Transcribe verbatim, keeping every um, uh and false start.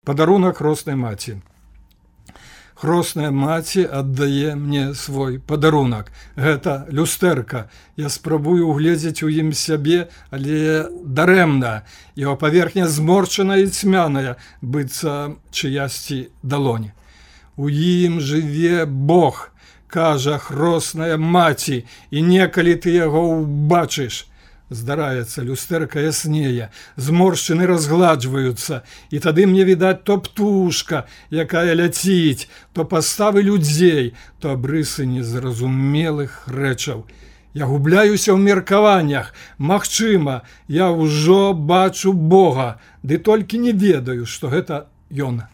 Падарунак хроснай маці. Хросная маці аддае мне свой падарунак. Гэта люстэрка. Я спрабую угледзець у ім сябе, але дарэмна. Яго паверхня зморчаная і цьмяная, быццам чыясьці далонь. У ім жыве Бог, кажа хросная маці, і некалі ты яго ўбачыш. Здараецца, люстэрка яснее, зморшчыны разгладжваюцца, і тады мне відаць то птушка, якая ляціць, то паставы людзей, то абрысы незразумелых рэчаў. Я губляюся ў меркаваннях, магчыма, я ўжо бачу Бога, ды толькі не ведаю, што гэта ён.